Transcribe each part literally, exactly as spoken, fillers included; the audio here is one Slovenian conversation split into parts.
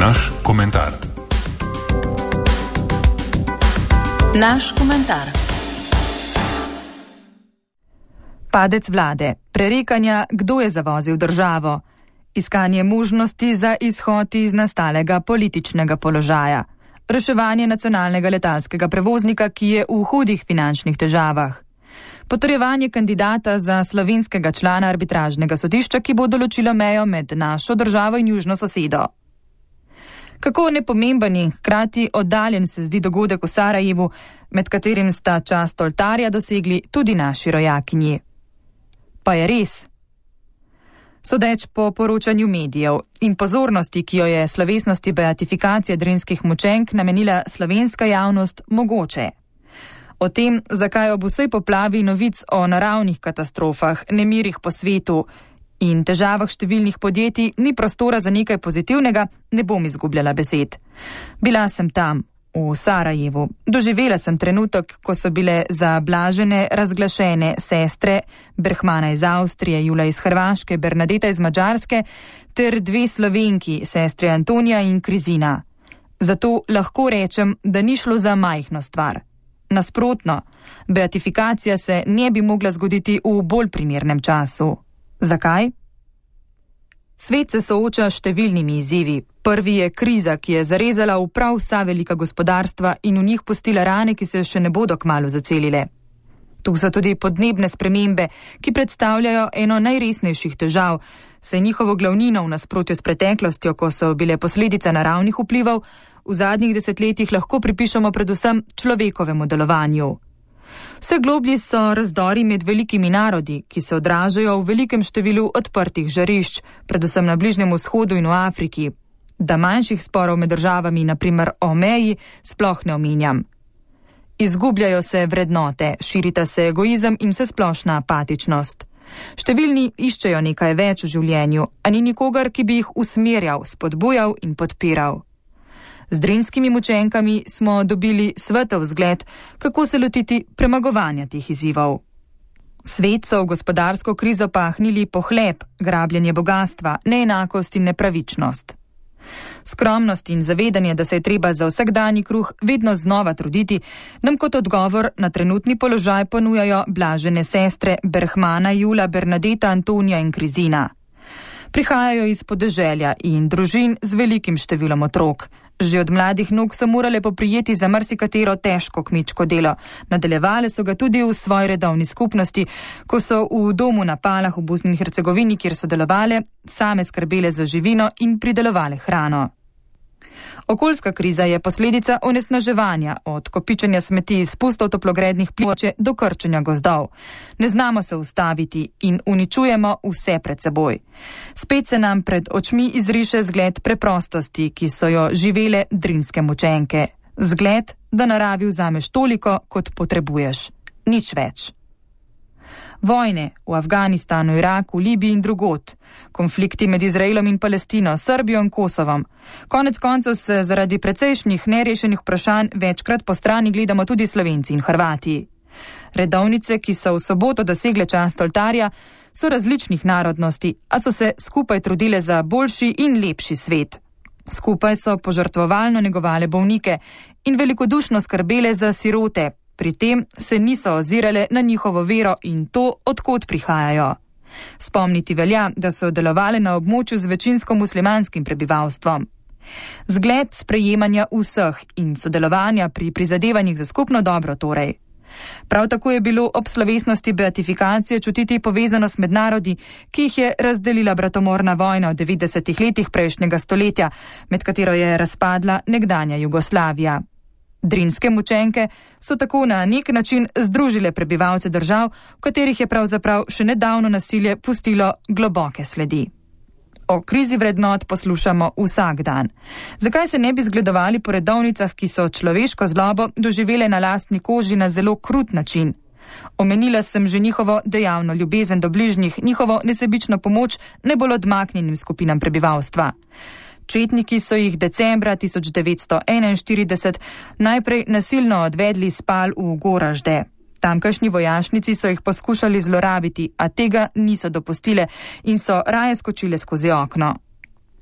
Naš komentar. Naš komentar. Padec vlade, prerekanja, kdo je zavozil državo, iskanje možnosti za izhod iz nastalega političnega položaja, reševanje nacionalnega letalskega prevoznika, ki je v hudih finančnih težavah, potrjevanje kandidata za slovenskega člana arbitražnega sodišča, ki bo določilo mejo med našo državo in južno sosedo. Kako nepomemben in hkrati oddaljen se zdi dogodek v Sarajevu, med katerim sta čast oltarja dosegli tudi naši rojakinji. Pa je res. Sodeč po poročanju medijev in pozornosti, ki jo je slovesnosti beatifikacije drinskih mučenk namenila slovenska javnost, mogoče. O tem, zakaj ob vsej poplavi novic o naravnih katastrofah, nemirih po svetu in težavah številnih podjetij ni prostora za nekaj pozitivnega, ne bom izgubljala besed. Bila sem tam, v Sarajevu. Doživela sem trenutek, ko so bile zablažene, razglašene sestre Berhmana iz Avstrije, Jula iz Hrvaške, Bernadeta iz Madžarske ter dve Slovenki, sestre Antonija in Krizina. Zato lahko rečem, da ni šlo za majhno stvar. Nasprotno, beatifikacija se ne bi mogla zgoditi v bolj primernem času. Zakaj? Svet se sooča s številnimi izzivi. Prvi je kriza, ki je zarezala v prav vsa velika gospodarstva in v njih pustila rane, ki se še ne bodo kmalu zacelile. Tu so tudi podnebne spremembe, ki predstavljajo eno najresnejših težav, saj njihovo glavnino v nasprotju s preteklostjo, ko so bile posledice naravnih vplivov, v zadnjih desetletjih lahko pripišemo predvsem človekovemu delovanju. Vse globlji so razdori med velikimi narodi, ki se odražajo v velikem številu odprtih žarišč, predvsem na Bližnjem vzhodu in v Afriki. Da manjših sporov med državami, na primer o meji, sploh ne omenjam. Izgubljajo se vrednote, širita se egoizem in vsesplošna apatičnost. Številni iščejo nekaj več v življenju, a ni nikogar, ki bi jih usmerjal, spodbujal in podpiral. Z drinskimi mučenkami smo dobili svetov vzgled, kako se lotiti premagovanja teh izzivov. Svet so v gospodarsko krizo pahnili pohlep, grabljenje bogastva, neenakost in nepravičnost. Skromnost in zavedanje, da se je treba za vsakdanji kruh vedno znova truditi, nam kot odgovor na trenutni položaj ponujajo blažene sestre Berhmana, Jula, Bernadeta, Antonija in Krizina. Prihajajo iz podeželja in družin z velikim številom otrok. Že od mladih nog so morale poprijeti za marsikatero težko kmečko delo. Nadaljevale so ga tudi v svoji redovni skupnosti, ko so v domu na Palah v Bosni in Hercegovini, kjer so delovale, same skrbele za živino in pridelovale hrano. Okoljska kriza je posledica onesnaževanja, od kopičenja smeti, izpustov toplogrednih plinov do krčenja gozdov. Ne znamo se ustaviti in uničujemo vse pred seboj. Spet se nam pred očmi izriše zgled preprostosti, ki so jo živele drinske mučenke. Zgled, da naravi vzameš toliko, kot potrebuješ. Nič več. Vojne v Afganistanu, Iraku, Libiji in drugod, konflikti med Izraelom in Palestino, Srbijo in Kosovom. Konec koncev se zaradi precejšnjih nerešenih vprašanj večkrat po strani gledamo tudi Slovenci in Hrvati. Redovnice, ki so v soboto dosegle čast oltarja, so različnih narodnosti, a so se skupaj trudile za boljši in lepši svet. Skupaj so požrtvovalno negovale bolnike in velikodušno skrbele za sirote. Pri tem se niso ozirale na njihovo vero in to, odkot prihajajo. Spomniti velja, da so delovale na območju z večinsko muslimanskim prebivalstvom. Zgled sprejemanja vseh in sodelovanja pri prizadevanjih za skupno dobro torej. Prav tako je bilo ob slovesnosti beatifikacije čutiti povezanost med narodi, ki jih je razdelila bratomorna vojna v devetdesetih letih prejšnjega stoletja, med katero je razpadla nekdanja Jugoslavija. Drinske mučenke so tako na nek način združile prebivalce držav, v katerih je pravzaprav še nedavno nasilje pustilo globoke sledi. O krizi vrednot poslušamo vsak dan. Zakaj se ne bi zgledovali po redovnicah, ki so človeško zlobo doživele na lastni koži na zelo krut način? Omenila sem že njihovo dejavno ljubezen do bližnjih, njihovo nesebično pomoč najbolj odmaknjenim skupinam prebivalstva. Četniki so jih decembra tisoč devetsto enainštirideset najprej nasilno odvedli iz Pal v Goražde. Tamkajšnji vojašnici so jih poskušali zlorabiti, a tega niso dopustile in so raje skočile skozi okno.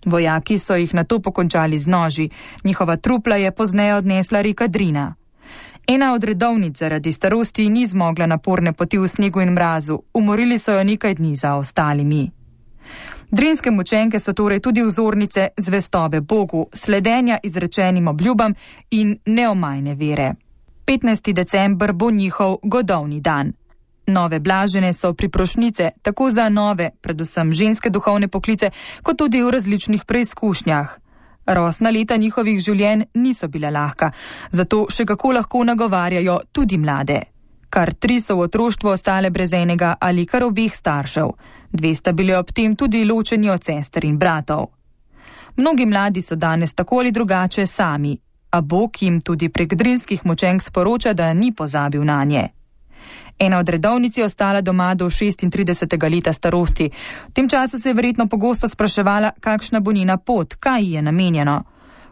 Vojaki so jih nato pokončali z noži, njihova trupla je pozneje odnesla reka Drina. Ena od redovnic zaradi starosti ni zmogla naporne poti v snegu in mrazu, umorili so jo nekaj dni za ostalimi. Drinske mučenke so torej tudi vzornice zvestobe Bogu, sledenja izrečenim obljubam in neomajne vere. petnajsti december bo njihov godovni dan. Nove blažene so priprošnjice tako za nove, predvsem ženske duhovne poklice, kot tudi v različnih preizkušnjah. Rosna leta njihovih življenj niso bila lahka, zato še kako lahko nagovarjajo tudi mlade. Kar tri so v otroštvu ostale brez enega ali kar obeh staršev. Dve sta bili ob tem tudi ločeni od sester in bratov. Mnogi mladi so danes tako ali drugače sami, a Bog jim tudi prek drinskih mučenk sporoča, da ni pozabil nanje. Ena od redovnic je ostala doma do šestintridesetega leta starosti. V tem času se je verjetno pogosto spraševala, kakšna bo njena pot, kaj ji je namenjeno.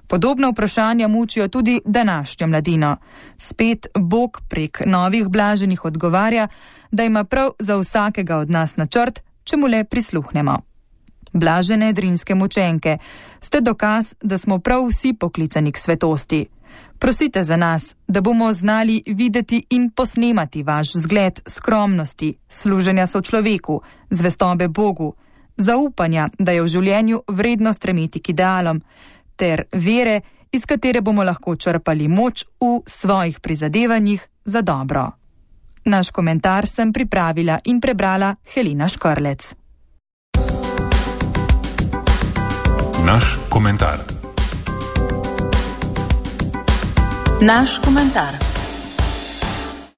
Podobna vprašanja mučijo tudi današnjo mladino. Spet Bog prek novih blaženih odgovarja, da ima prav za vsakega od nas načrt, če mu le prisluhnemo. Blažene drinske mučenke, ste dokaz, da smo prav vsi poklicani k svetosti. Prosite za nas, da bomo znali videti in posnemati vaš vzgled skromnosti, služenja sočloveku, zvestobe Bogu, zaupanja, da je v življenju vredno stremeti k idealom, ter vere, iz katere bomo lahko črpali moč v svojih prizadevanjih za dobro. Naš komentar sem pripravila in prebrala Helena Škrlec. Naš komentar. Naš komentar.